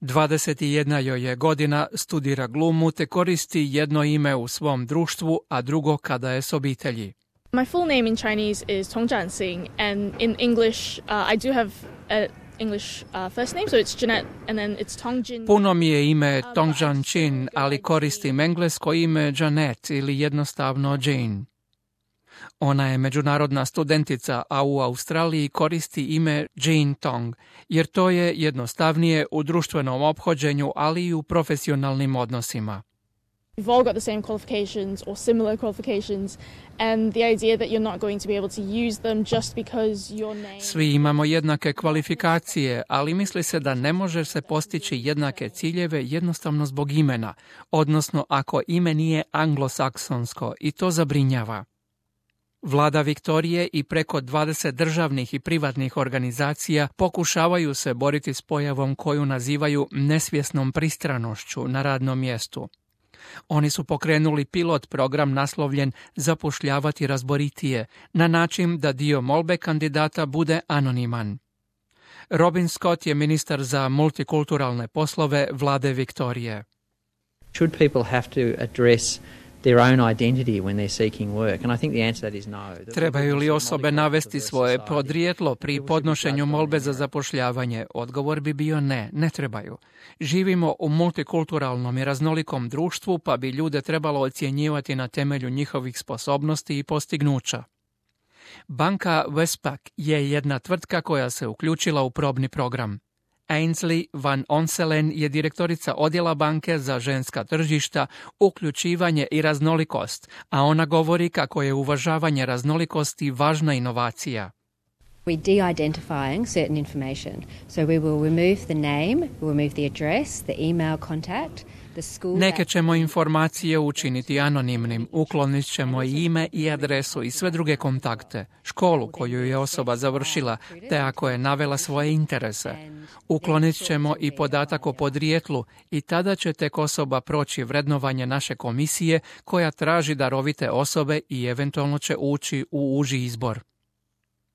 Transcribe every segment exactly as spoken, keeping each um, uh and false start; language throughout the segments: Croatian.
dvadeset jedna joj je godina, studira glumu te koristi jedno ime u svom društvu, a drugo kada je s obitelji. My full name in Chinese is Tong Jiansing, and in English uh, I do have a English uh, first name, so it's Jeanette, and then it's Tong Jin. Puno mi je ime Tong Jianchin, ali koristim englesko ime Jeanette ili jednostavno Jane. Ona je međunarodna studentica, a u Australiji koristi ime Jane Tong, jer to je jednostavnije u društvenom ophođenju, ali i u profesionalnim odnosima. We've all got the same qualifications or similar qualifications, and the idea that you're not going to be able to use them just because your name... Svi imamo jednake kvalifikacije, ali misli se da ne može se postići jednake ciljeve jednostavno zbog imena, odnosno ako ime nije anglosaksonsko, i to zabrinjava. Vlada Viktorije i preko dvadeset državnih i privatnih organizacija pokušavaju se boriti s pojavom koju nazivaju nesvjesnom pristranošću na radnom mjestu. Oni su pokrenuli pilot program naslovljen Zapošljavati razboritije, na način da dio molbe kandidata bude anoniman. Robin Scott je ministar za multikulturalne poslove Vlade Viktorije. Should people have to address their own identity when they're seeking work? And I think the answer to that is no. Trebaju li osobe navesti svoje podrijetlo pri podnošenju molbe za zapošljavanje? Odgovor bi bio ne, ne trebaju. Živimo u multikulturalnom i raznolikom društvu, pa bi ljude trebalo ocjenjivati na temelju njihovih sposobnosti i postignuća. Banka Westpac je jedna tvrtka koja se uključila u probni program. Ainsley Van Onselen je direktorica odjela banke za ženska tržišta, uključivanje i raznolikost, a ona govori kako je uvažavanje raznolikosti važna inovacija. We're de-identifying certain information, so we will remove the name, we'll remove the address, the email contact. Neke ćemo informacije učiniti anonimnim, uklonit ćemo i ime i adresu i sve druge kontakte, školu koju je osoba završila, te ako je navela svoje interese. Uklonit ćemo i podatak o podrijetlu i tada će tek osoba proći vrednovanje naše komisije koja traži darovite osobe i eventualno će ući u uži izbor.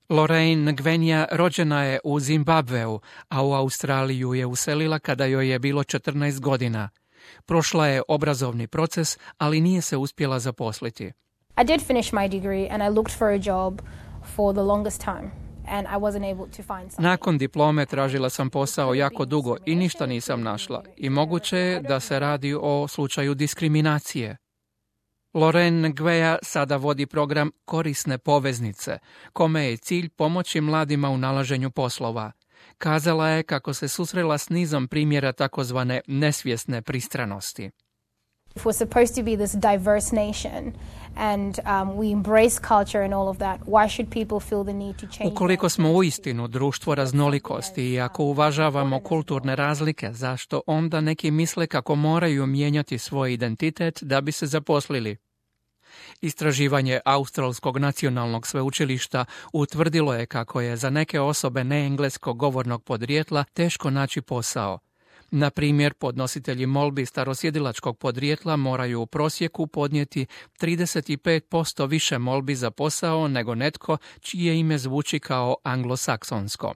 Lorraine Ngvenja rođena je u Zimbabveu, a u Australiju je uselila kada joj je bilo četrnaest godina. Prošla je obrazovni proces, ali nije se uspjela zaposliti. I did finish my degree and I looked for a job for the longest time and I wasn't able to find something. Nakon diplome tražila sam posao jako dugo i ništa nisam našla. I moguće je da se radi o slučaju diskriminacije. Lorraine Ngveja sada vodi program Korisne poveznice, kome je cilj pomoći mladima u nalaženju poslova. Kazala je kako se susrela s nizom primjera takozvane nesvjesne pristranosti. If we're supposed to be this diverse nation and um, we embrace culture and all of that, why should people feel the need to change? Ukoliko smo uistinu društvo raznolikosti i ako uvažavamo kulturne razlike, zašto onda neki misle kako moraju mijenjati svoj identitet da bi se zaposlili? Istraživanje Australskog nacionalnog sveučilišta utvrdilo je kako je za neke osobe neengleskog govornog podrijetla teško naći posao. Na primjer, podnositelji molbi starosjedilačkog podrijetla moraju u prosjeku podnijeti trideset pet posto više molbi za posao nego netko čije ime zvuči kao anglosaksonsko.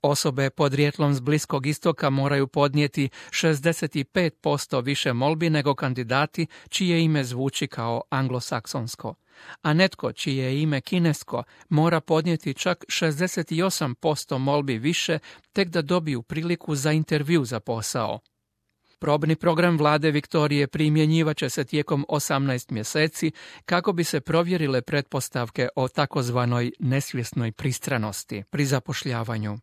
Osobe podrijetlom s Bliskog istoka moraju podnijeti šezdeset pet posto više molbi nego kandidati čije ime zvuči kao anglosaksonsko. A netko čije je ime kinesko mora podnijeti čak šezdeset osam posto molbi više tek da dobiju priliku za intervju za posao. Probni program Vlade Viktorije primjenjivat će se tijekom osamnaest mjeseci kako bi se provjerile pretpostavke o takozvanoj nesvjesnoj pristranosti pri zapošljavanju.